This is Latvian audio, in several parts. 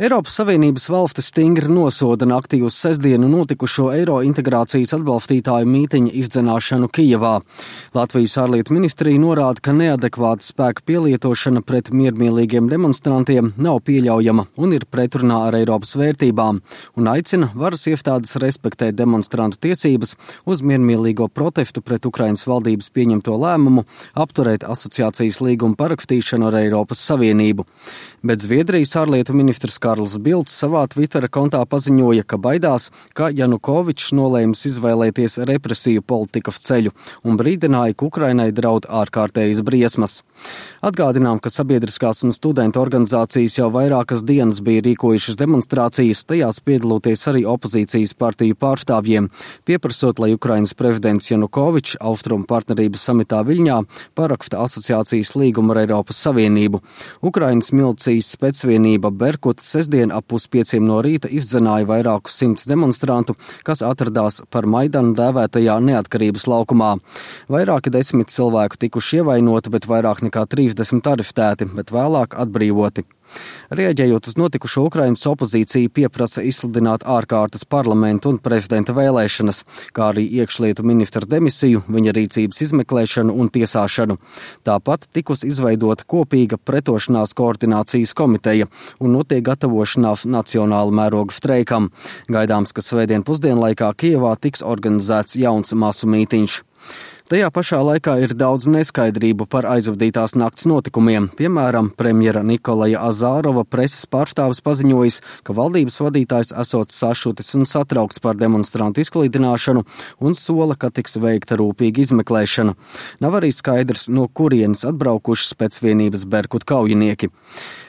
Eiropas Savienības valstis stingri nosoda naktī uz sestdienu notikušo eiro integrācijas atbalstītāju mītiņa izdzenāšanu Kijevā. Latvijas ārlietu ministrija norāda, ka neadekvāta spēka pielietošana pret miermīlīgiem demonstrantiem nav pieļaujama un ir pretrunā ar Eiropas vērtībām, un aicina varas iestādes respektēt demonstrantu tiesības uz miermīlīgo protestu pret Ukrainas valdības pieņemto lēmumu apturēt asociācijas līgumu parakstīšanu ar Eiropas Savienību. Bet Zviedrijas ārlietu ministrs Karls Bilds savā Twittera kontā paziņoja, ka baidās, ka Janukovičs nolēmis izvēlēties represiju politikas ceļu un brīdināja, ka Ukrainai draud ārkārtējas briesmas. Atgādinām, ka sabiedriskās un studentu organizācijas jau vairākas dienas bija rīkojušas demonstrācijas, tajās piedaloties arī opozīcijas partiju pārstāvjiem, pieprasot, lai Ukrainas prezidents Janukovičs Austrumu partnerības samitā Viļņā paraksta asociācijas līgumu ar Eiropas Savienību. Ukrainas milicijas spēcvienība Berkut sestdien ap 4:30 no rīta izdzenāja vairākus simtus demonstrantu, kas atradās par Maidanu dēvētajā Neatkarības laukumā. Vairāki 10 cilvēku tikuši ievainoti, bet vairāk nekā 30 arestēti, bet vēlāk atbrīvoti. Rēģējot uz notikušo, Ukrainas opozīcija pieprasa izsludināt ārkārtas parlamentu un prezidenta vēlēšanas, kā arī iekšlietu ministra demisiju, viņa rīcības izmeklēšanu un tiesāšanu. Tāpat tikus izveidota kopīga pretošanās koordinācijas komiteja un notiek gatavošanās nacionāla mēroga streikam. Gaidāms, ka svētdien pusdienlaikā Kijevā tiks organizēts jauns masu mītiņš. Tajā pašā laikā ir daudz neskaidrību par aizvadītās nakts notikumiem. Piemēram, premjera Nikolaja Azārova preses pārstāvis paziņojis, ka valdības vadītājs esot sašutis un satraukts par demonstrantu izklīdināšanu un sola, ka tiks veikta rūpīga izmeklēšana. Nav arī skaidrs, no kurienes atbraukuši spēcvienības Berkut kaujinieki.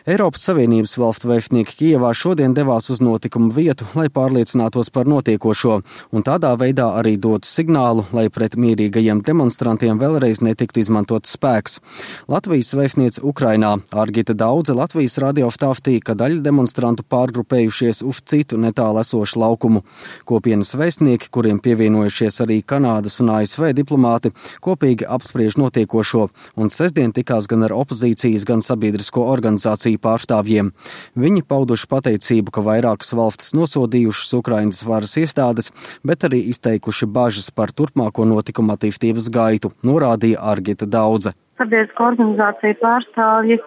Eiropas Savienības valstu vēstnieki Kijevā šodien devās uz notikumu vietu, lai pārliecinātos par notiekošo, un tādā veidā arī dotu signālu, lai pret mierīgajiem demonstrantiem vēlreiz netiktu izmantots spēks. Latvijas vēstniece Ukrainā Argita Daudze Latvijas radio stāstīja, ka daļa demonstrantu pārgrupējušies uz citu netālu esošu laukumu. Kopienas vēstnieki, kuriem pievienojušies arī Kanādas un ASV diplomāti, kopīgi apspriež notiekošo, un sestdien tikās gan ar opozīcijas, gan sabiedrisko organizāciju pārstāvjiem. Viņi pauduši pateicību, ka vairākas valstis nosodījušas Ukrainas varas iestādes, bet arī izteikuši bažas par turpmāko notikumu attīstības gaitu, norādīja Argita Daudze. Sabiedrisko organizāciju pārstāvji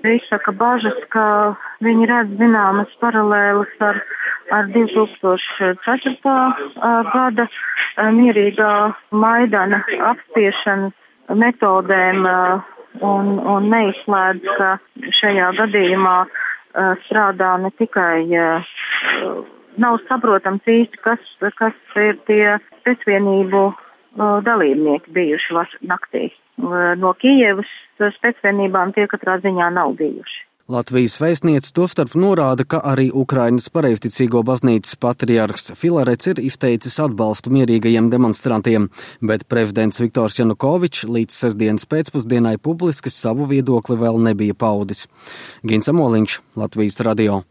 izsaka bažas, ka viņi redz zināmas paralēlas ar 2004. Gada mierīgā Maidana apspiešanas metodēm un neizslēdz, ka šajā gadījumā strādā ne tikai, nav saprotams īsti, kas ir tie spēcvienību dalībnieki bijuši naktī. No Kijevas spēcvienībām tie katrā ziņā nav bijuši. Latvijas vēstniece tostarp norāda, ka arī Ukrainas pareizticīgo baznīcas patriarhs Filarets ir izteicis atbalstu mierīgajiem demonstrantiem, bet prezidents Viktors Janukovičs līdz sestdienas pēcpusdienai publiski savu viedokli vēl nebija paudis. Gins Amoliņš, Latvijas radio.